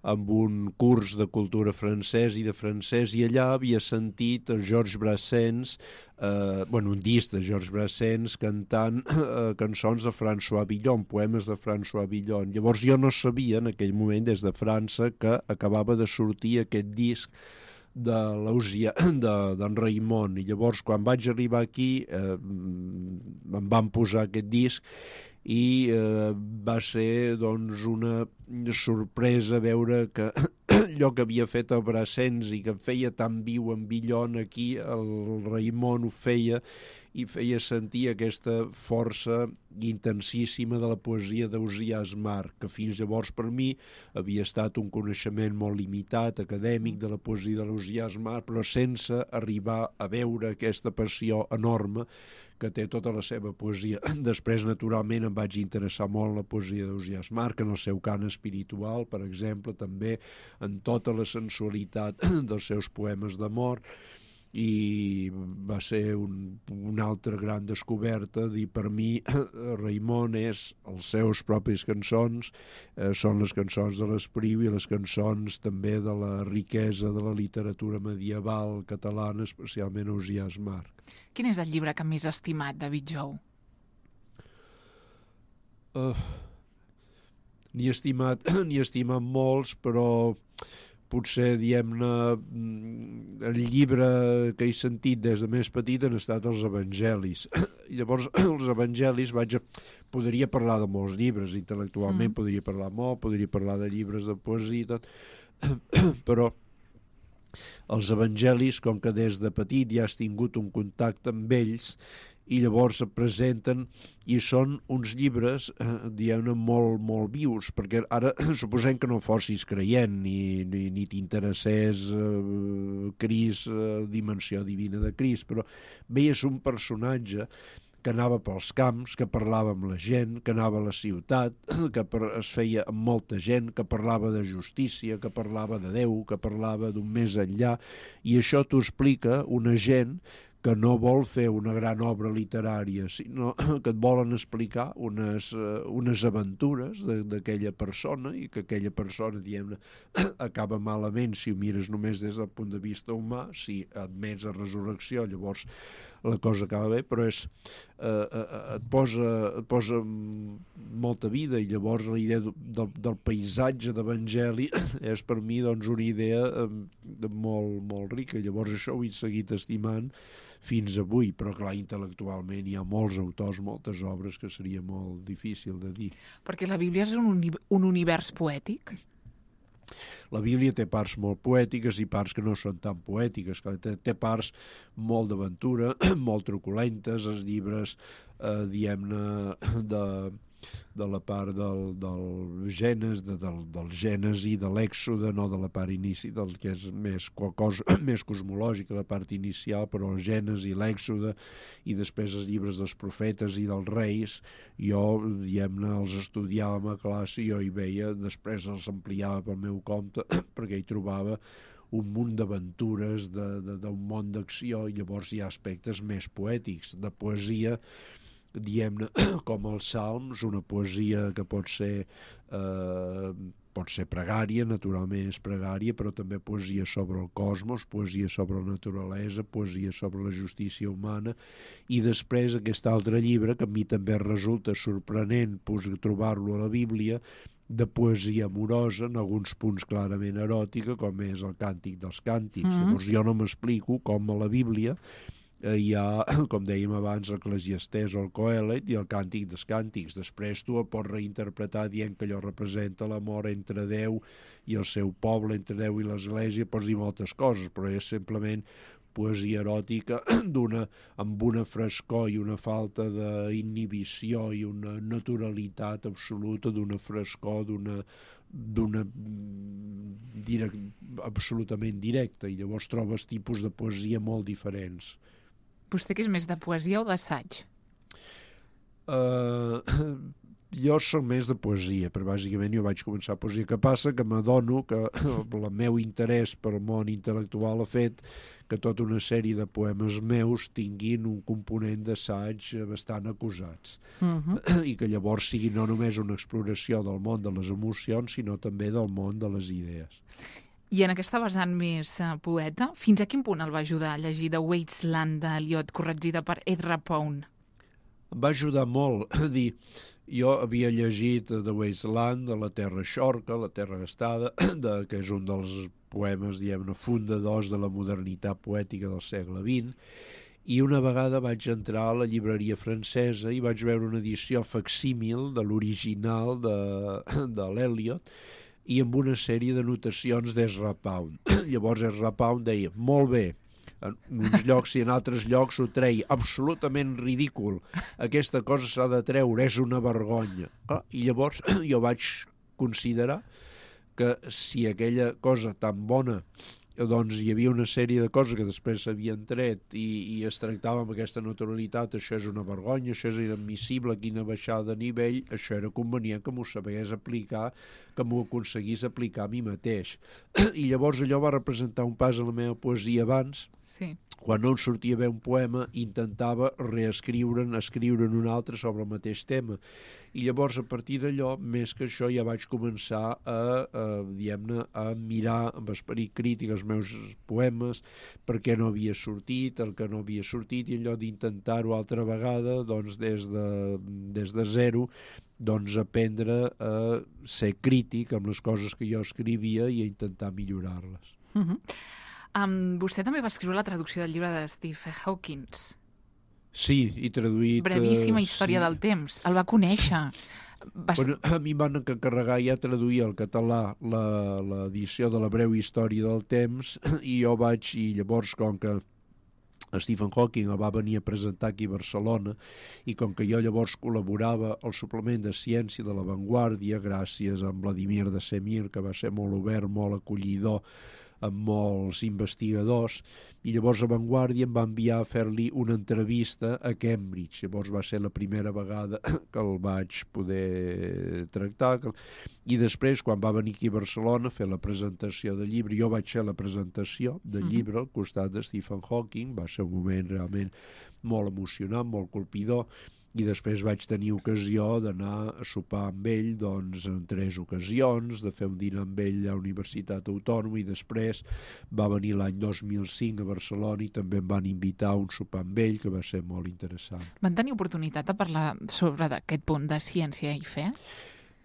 amb un curs de cultura francès i de francès, i allà havia sentit el Georges Brassens, eh, bueno, un disc de Georges Brassens cantant eh, cançons de François Villon, poemes de François Villon. Llavors jo no sabia en aquell moment des de França que acabava de sortir aquest disc de d'en Raimon, i llavors quan vaig arribar aquí eh, em van posar aquest disc i eh, va ser doncs una sorpresa veure que allò que havia fet el Brassens i que feia tan viu en Villon, aquí el Raimon ho feia i feia sentir aquesta força intensíssima de la poesia d'Ausiàs March, que fins llavors per mi havia estat un coneixement molt limitat, acadèmic, de la poesia de l'Ausiàs March, però sense arribar a veure aquesta passió enorme que té tota la seva poesia. Després, naturalment, em vaig interessar molt en la poesia d'Ausiàs March, en el seu cant espiritual, per exemple, també en tota la sensualitat dels seus poemes d'amor, i va ser un, una altra gran descoberta. I per mi Raimon és els seus propis cançons, eh, són les cançons de l'Espriu i les cançons també de la riquesa de la literatura medieval catalana, especialment Ausiàs March. Quin és el llibre que més estimat, David Jou? Uh, N'hi he estimat, n'hi he estimat molts, però potser, diguem-ne, el llibre que he sentit des de més petit han estat els evangelis. Llavors, els evangelis, vaig a... podria parlar de molts llibres, intel·lectualment mm. podria parlar molt, podria parlar de llibres de poesia, però els evangelis, com que des de petit ja has tingut un contacte amb ells, i llavors es presenten i són uns llibres, eh, diguem-ne, molt, molt vius, perquè ara suposem que no fossis creient ni, ni, ni t'interessés eh, Crist, eh, dimensió divina de Crist, però veies un personatge que anava pels camps, que parlava amb la gent, que anava a la ciutat, que es feia amb molta gent, que parlava de justícia, que parlava de Déu, que parlava d'un més enllà, i això t'ho explica una gent que no vol fer una gran obra literària, sinó que et volen explicar unes, uh, unes aventures d'aquella persona i que aquella persona, diguem-ne, acaba malament si ho mires només des del punt de vista humà. Si admets la resurrecció, llavors la cosa acaba bé, però és, eh, eh, et, posa, et posa molta vida, i llavors la idea del, del paisatge d'Evangeli és per mi doncs, una idea eh, molt, molt rica. Llavors això ho he seguit estimant fins avui, però clar, intel·lectualment hi ha molts autors, moltes obres que seria molt difícil de dir. Perquè la Bíblia és un, uni un univers poètic? La Bíblia té parts molt poètiques i parts que no són tan poètiques. Té, té parts molt d'aventura, molt truculentes, els llibres, eh, diguem-ne, de, de la part del, del Genes, de, del, del Gènesi, de l'Èxode, no de la part inici, del que és més, cosa, més cosmològica, la part inicial, però el Gènesi, l'Èxode, i després els llibres dels profetes i dels reis, jo, diguem-ne, els estudiava a classe i jo hi veia, després els ampliava pel meu compte, perquè hi trobava un munt d'aventures, d'un món d'acció, i llavors hi ha aspectes més poètics, de poesia, diem-ne, com els salms, una poesia que pot ser eh, pot ser pregària, naturalment és pregària, però també poesia sobre el cosmos, poesia sobre la naturalesa, poesia sobre la justícia humana, i després aquest altre llibre, que a mi també resulta sorprenent trobar-lo a la Bíblia, de poesia amorosa, en alguns punts clarament eròtica, com és el Càntic dels Càntics. Mm-hmm. Llavors jo no m'explico com a la Bíblia hi ha, com dèiem abans, l'Eclesiastès o el Coelet i el Càntic dels Càntics. Després tu el pots reinterpretar dient que allò representa l'amor entre Déu i el seu poble, entre Déu i l'Església, pots dir moltes coses, però és simplement poesia eròtica d'una, amb una frescor i una falta d'inhibició i una naturalitat absoluta, d'una frescor, d'una d'una direct, absolutament directa, i llavors trobes tipus de poesia molt diferents. Vostè que és més de poesia o d'assaig? Uh, jo soc més de poesia, però bàsicament jo vaig començar a poesia. Que passa que m'adono que el meu interès pel món intel·lectual ha fet que tota una sèrie de poemes meus tinguin un component d'assaig bastant acusats. Uh-huh. I que llavors sigui no només una exploració del món de les emocions, sinó també del món de les idees. I en aquesta vessant més uh, poeta, fins a quin punt el va ajudar a llegir The Wasteland d'Eliot, corregida per Ezra Pound? Em va ajudar molt. A dir, jo havia llegit The Wasteland, de la Terra Xorca, la Terra Gastada, de, que és un dels poemes, diguem-ne, fundadors de la modernitat poètica del segle vint, i una vegada vaig entrar a la llibreria francesa i vaig veure una edició facsímil de l'original de, de l'Eliot, i amb una sèrie de notacions d'Ezra Pound. Llavors Ezra Pound deia, molt bé, en uns llocs i en altres llocs ho treia, absolutament ridícul, aquesta cosa s'ha de treure, és una vergonya. Ah, i llavors jo vaig considerar que si aquella cosa tan bona, doncs hi havia una sèrie de coses que després s'havien tret i, i es tractava amb aquesta naturalitat, això és una vergonya, això és inadmissible, quina baixada de nivell, això era convenient que m'ho sabés aplicar, que m'ho aconseguís aplicar a mi mateix. I llavors allò va representar un pas a la meva poesia abans. Sí. Quan no em sortia bé un poema, intentava reescriure'n, escriure'n un altre sobre el mateix tema. I llavors, a partir d'allò, més que això, ja vaig començar a, a diguem-ne, a mirar amb esperit crític els meus poemes, per què no havia sortit, el que no havia sortit, i allò d'intentar-ho altra vegada, doncs, des de, des de zero, doncs, aprendre a ser crític amb les coses que jo escrivia i a intentar millorar-les. Uh-huh. Um, vostè també va escriure la traducció del llibre de Stephen Hawking. Sí, i traduït... Brevíssima història sí. del temps. El va conèixer. Va... Bueno, a mi em van encarregar ja traduir al català l'edició de la breu història del temps, i jo vaig, i llavors, com que Stephen Hawking el va venir a presentar aquí a Barcelona, i com que jo llavors col·laborava al suplement de ciència de La Vanguardia, gràcies a Vladimir de Semir, que va ser molt obert, molt acollidor amb molts investigadors, i llavors a Vanguardia em va enviar a fer-li una entrevista a Cambridge. Llavors va ser la primera vegada que el vaig poder tractar, i després, quan va venir aquí a Barcelona a fer la presentació del llibre, jo vaig fer la presentació del llibre al costat de Stephen Hawking, va ser un moment realment molt emocionant, molt colpidor, i després vaig tenir ocasió d'anar a sopar amb ell doncs, en tres ocasions, de fer un dinar amb ell a la Universitat Autònoma, i després va venir l'any dos mil cinc a Barcelona i també em van invitar a un sopar amb ell, que va ser molt interessant. Van tenir oportunitat de parlar sobre aquest punt de ciència i fe?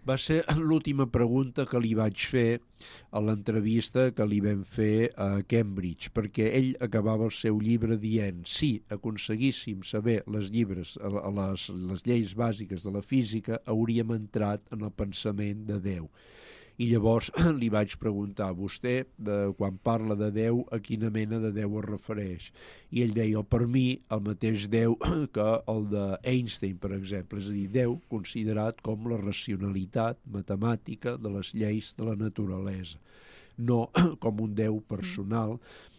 Va ser l'última pregunta que li vaig fer a l'entrevista que li vam fer a Cambridge, perquè ell acabava el seu llibre dient si aconseguíssim saber les llibres, les, les lleis bàsiques de la física, hauríem entrat en el pensament de Déu. I llavors li vaig preguntar a vostè, de, quan parla de Déu, a quina mena de Déu es refereix. I ell deia, per mi, el mateix Déu que el d'Einstein, per exemple. És a dir, Déu considerat com la racionalitat matemàtica de les lleis de la naturalesa. No com un Déu personal,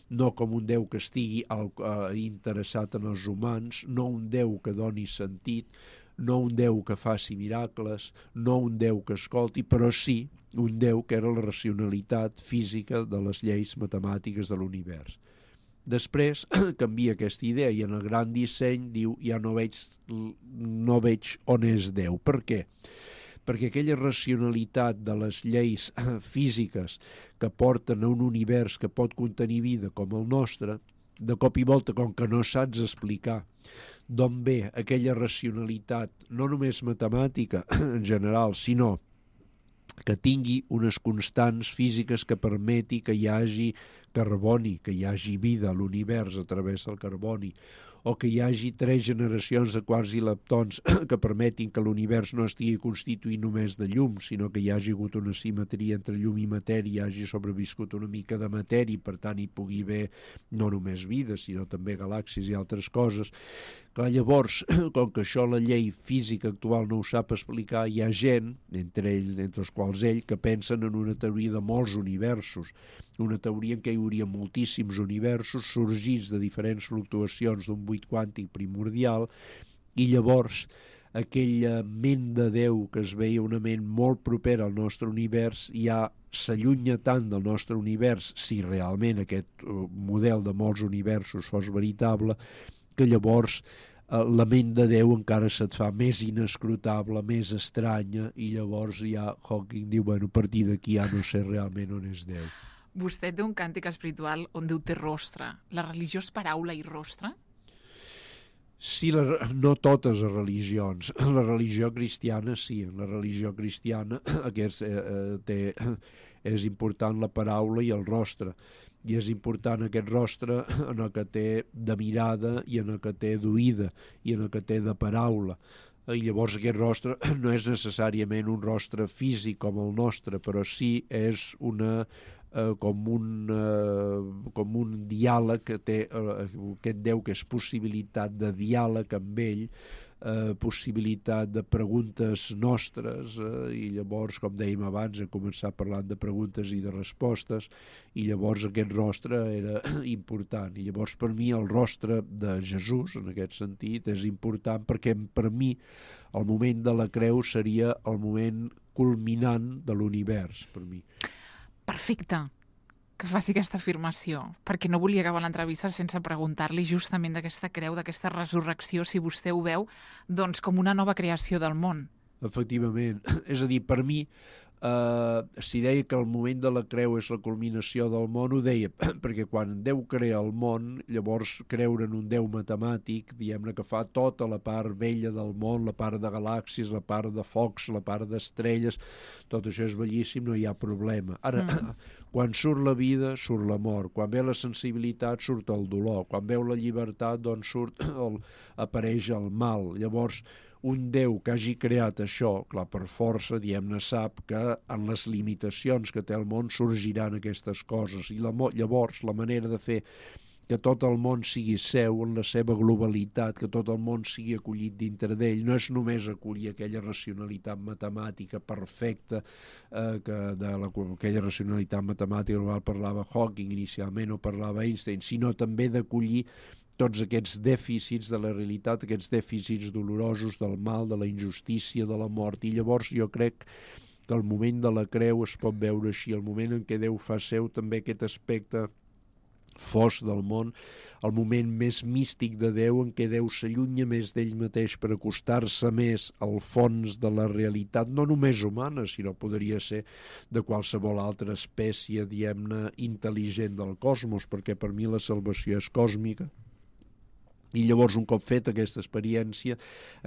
no com un Déu que estigui al, uh, interessat en els humans, no un Déu que doni sentit, no un Déu que faci miracles, no un Déu que escolti, però sí un Déu que era la racionalitat física de les lleis matemàtiques de l'univers. Després canvia aquesta idea i en el gran disseny diu ja no veig, no veig on és Déu. Per què? Perquè aquella racionalitat de les lleis físiques que porten a un univers que pot contenir vida com el nostre, de cop i volta, com que no saps explicar d'on ve aquella racionalitat, no només matemàtica en general, sinó que tingui unes constants físiques que permeti que hi hagi carboni, que hi hagi vida a l'univers a través del carboni, o que hi hagi tres generacions de quarks i leptons que permetin que l'univers no estigui constituït només de llum, sinó que hi hagi hagut una simetria entre llum i matèria, hi hagi sobreviscut una mica de matèria, i per tant hi pugui haver no només vida, sinó també galàxies i altres coses. Clar, llavors, com que això la llei física actual no ho sap explicar, hi ha gent, entre ells, entre els quals ell, que pensen en una teoria de molts universos, una teoria en què hi hauria moltíssims universos sorgits de diferents fluctuacions d'un buit quàntic primordial, i llavors aquella ment de Déu que es veia una ment molt propera al nostre univers ja s'allunya tant del nostre univers, si realment aquest model de molts universos fos veritable, que llavors la ment de Déu encara se't fa més inescrutable, més estranya, i llavors ja Hawking diu, bueno, a partir d'aquí ja no sé realment on és Déu. Vostè té un càntic espiritual on Déu té rostre. La religió és paraula i rostre? Sí, la, no totes les religions. La religió cristiana sí, la religió cristiana aquest, eh, té, és important la paraula i el rostre. I és important aquest rostre en el que té de mirada i en el que té d'oïda i en el que té de paraula. I llavors aquest rostre no és necessàriament un rostre físic com el nostre, però sí és una, eh, com, un, eh, com un diàleg que té eh, aquest Déu, que és possibilitat de diàleg amb ell, eh, possibilitat de preguntes nostres, eh, i llavors, com dèiem abans, hem començat parlant de preguntes i de respostes, i llavors aquest rostre era important. I llavors per mi el rostre de Jesús, en aquest sentit, és important perquè per mi el moment de la creu seria el moment culminant de l'univers, per mi. Perfecte que faci aquesta afirmació, perquè no volia acabar l'entrevista sense preguntar-li justament d'aquesta creu, d'aquesta resurrecció, si vostè ho veu, doncs com una nova creació del món. Efectivament. És a dir, per mi, eh, si deia que el moment de la creu és la culminació del món, ho deia perquè quan Déu crea el món, llavors creure en un Déu matemàtic, diguem-ne, que fa tota la part vella del món, la part de galàxies, la part de focs, la part d'estrelles, tot això és bellíssim, no hi ha problema. Ara, mm. quan surt la vida, surt la mort. Quan ve la sensibilitat, surt el dolor. Quan veu la llibertat, doncs surt el, apareix el mal. Llavors, un Déu que hagi creat això, clar, per força, diguem-ne, sap que en les limitacions que té el món sorgiran aquestes coses. I la, llavors, la manera de fer que tot el món sigui seu en la seva globalitat, que tot el món sigui acollit dintre d'ell. No és només acollir aquella racionalitat matemàtica perfecta, eh, que de la, aquella racionalitat matemàtica de la qual parlava Hawking inicialment o parlava Einstein, sinó també d'acollir tots aquests dèficits de la realitat, aquests dèficits dolorosos del mal, de la injustícia, de la mort. I llavors jo crec que el moment de la creu es pot veure així, el moment en què Déu fa seu també aquest aspecte fos del món, el moment més místic de Déu en què Déu s'allunya més d'ell mateix per acostar-se més al fons de la realitat, no només humana, sinó podria ser de qualsevol altra espècie, diguem-ne, intel·ligent del cosmos, perquè per mi la salvació és còsmica. I llavors, un cop fet aquesta experiència,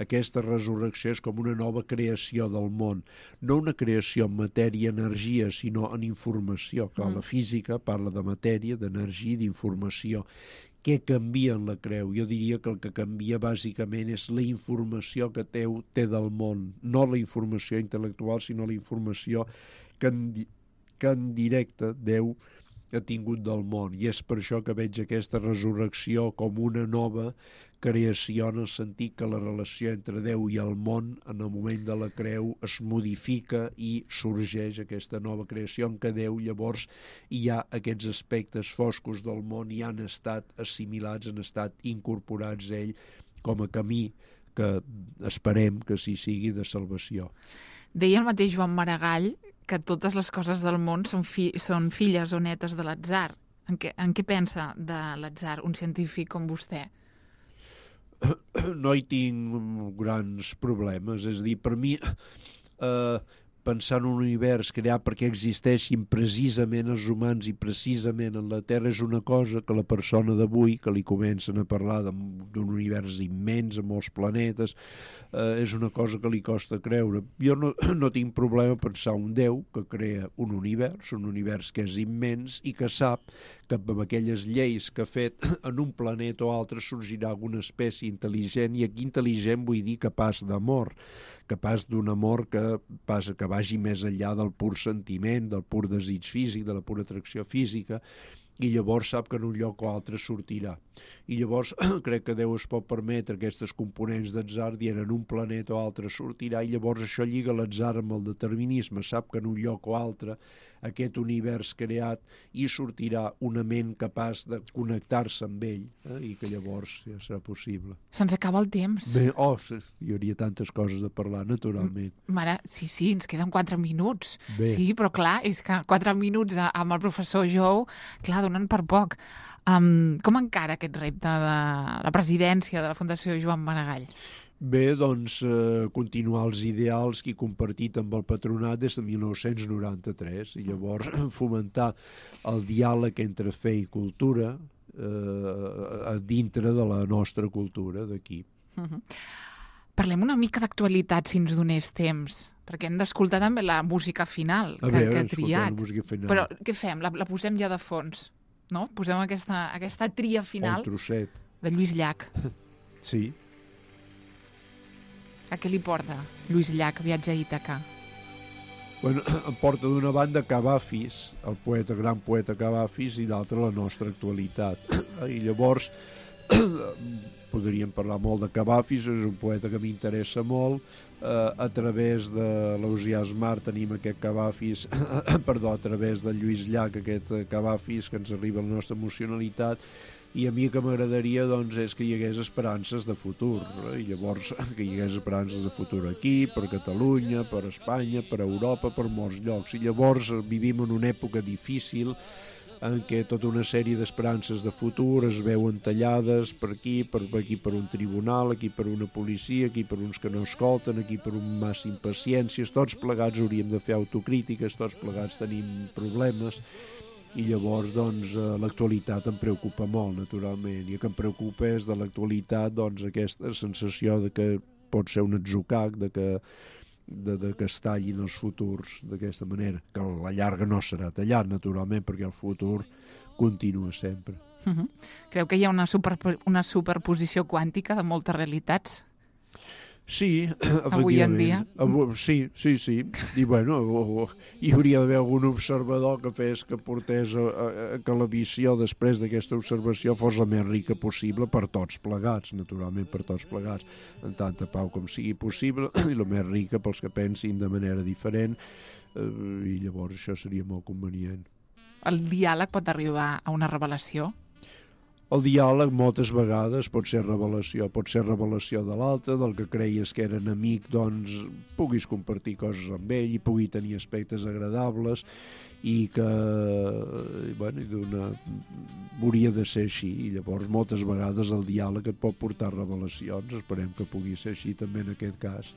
aquesta resurrecció és com una nova creació del món. No una creació en matèria i energia, sinó en informació. Clar, mm. La física parla de matèria, d'energia i d'informació. Què canvia en la creu? Jo diria que el que canvia bàsicament és la informació que Déu té del món. No la informació intel·lectual, sinó la informació que en, que en directe Déu ha tingut del món, i és per això que veig aquesta resurrecció com una nova creació, en el sentit que la relació entre Déu i el món en el moment de la creu es modifica i sorgeix aquesta nova creació en què Déu llavors hi ha aquests aspectes foscos del món i han estat assimilats, han estat incorporats a ell com a camí que esperem que sí sigui de salvació. Deia el mateix Joan Maragall que totes les coses del món són, fi són filles o netes de l'atzar. En què, en què pensa de l'atzar un científic com vostè? No hi tinc grans problemes. És a dir, per mi, eh, pensar en un univers creat perquè existeixin precisament els humans i precisament en la Terra és una cosa que la persona d'avui, que li comencen a parlar d'un univers immens, amb molts planetes, eh, és una cosa que li costa creure. Jo no, no tinc problema a pensar un Déu que crea un univers, un univers que és immens i que sap que amb aquelles lleis que ha fet en un planeta o altre sorgirà alguna espècie intel·ligent, i aquí intel·ligent vull dir capaç d'amor, capaç d'un amor que, passa, que vagi més enllà del pur sentiment, del pur desig físic, de la pura atracció física, i llavors sap que en un lloc o altre sortirà. I llavors crec que Déu es pot permetre aquestes components d'atzar dient en un planeta o altre sortirà, i llavors això lliga l'atzar amb el determinisme. Sap que en un lloc o altre aquest univers creat hi sortirà una ment capaç de connectar-se amb ell, eh? I que llavors ja serà possible. Se'ns acaba el temps. Bé, oh, hi hauria tantes coses a parlar, naturalment. Mare, sí, sí, ens queden quatre minuts. Bé. Sí, però clar, és que quatre minuts amb el professor Jou, clar, donen per poc. Um, com encara aquest repte de la presidència de la Fundació Joan Maragall? Bé, doncs, eh, continuar els ideals que he compartit amb el patronat des de mil nou-cents noranta-tres, i llavors fomentar el diàleg entre fe i cultura eh, dintre de la nostra cultura d'aquí. Uh-huh. Parlem una mica d'actualitat, si ens donés temps, perquè hem d'escoltar també la música final que, veure, que ha triat. La música final. Però què fem? La, la posem ja de fons, no? Posem aquesta, aquesta tria final el trosset de Lluís Llach. Sí. A què li porta Lluís Llach, Viatge a Ítaca? Bueno, em porta d'una banda Cavafis, el poeta, gran poeta Cavafis, i d'altra la nostra actualitat. I llavors podríem parlar molt de Cavafis, és un poeta que m'interessa molt. Uh, a través de l'Ausiàs Mar tenim aquest Cavafis, perdó, a través de Lluís Llach, aquest Cavafis que ens arriba a la nostra emocionalitat, i a mi que m'agradaria doncs, és que hi hagués esperances de futur, eh? I llavors que hi hagués esperances de futur aquí, per Catalunya, per Espanya, per Europa, per molts llocs. I llavors vivim en una època difícil en què tota una sèrie d'esperances de futur es veuen tallades per aquí, per aquí per un tribunal, aquí per una policia, aquí per uns que no escolten, aquí per un massa impaciències. Tots plegats hauríem de fer autocrítiques, tots plegats tenim problemes, i llavors doncs, l'actualitat em preocupa molt, naturalment, i el que em preocupa és de l'actualitat doncs, aquesta sensació de que pot ser un atzucac, de que, de, de que es tallin els futurs d'aquesta manera, que a la llarga no serà tallat, naturalment, perquè el futur continua sempre. Uh-huh. Creu que hi ha una, super, una superposició quàntica de moltes realitats? Sí, Avui en efectivament. dia. Avui, sí, sí, sí. I bueno, o, o, hi hauria d'haver algun observador que fes que portés a, a, a que la visió després d'aquesta observació fos la més rica possible per tots plegats, naturalment per tots plegats, en tanta pau com sigui possible, i la més rica pels que pensin de manera diferent, eh, i llavors això seria molt convenient. El diàleg pot arribar a una revelació? El diàleg moltes vegades pot ser revelació, pot ser revelació de l'altre, del que creies que era enemic, doncs puguis compartir coses amb ell i pugui tenir aspectes agradables i que, bueno, d'una... hauria de ser així, i llavors moltes vegades el diàleg et pot portar revelacions, esperem que pugui ser així també en aquest cas.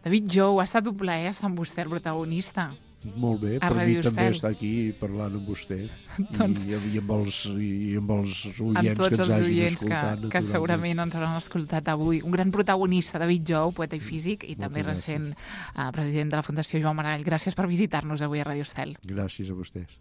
David Jou, ha estat un plaer estar amb vostè, el protagonista. Molt bé, A per mi Radio també Estel. estar aquí parlant amb vostè Doncs- i, i, amb els, i amb els Amb oients que tots ens els hagin oients que, escoltat. que naturalment. segurament ens hauran escoltat avui. Un gran protagonista, David Jou, poeta i físic, i Moltes també gràcies. recent eh, president de la Fundació Joan Maragall. Gràcies per visitar-nos avui a Radio Estel. Gràcies a vostès.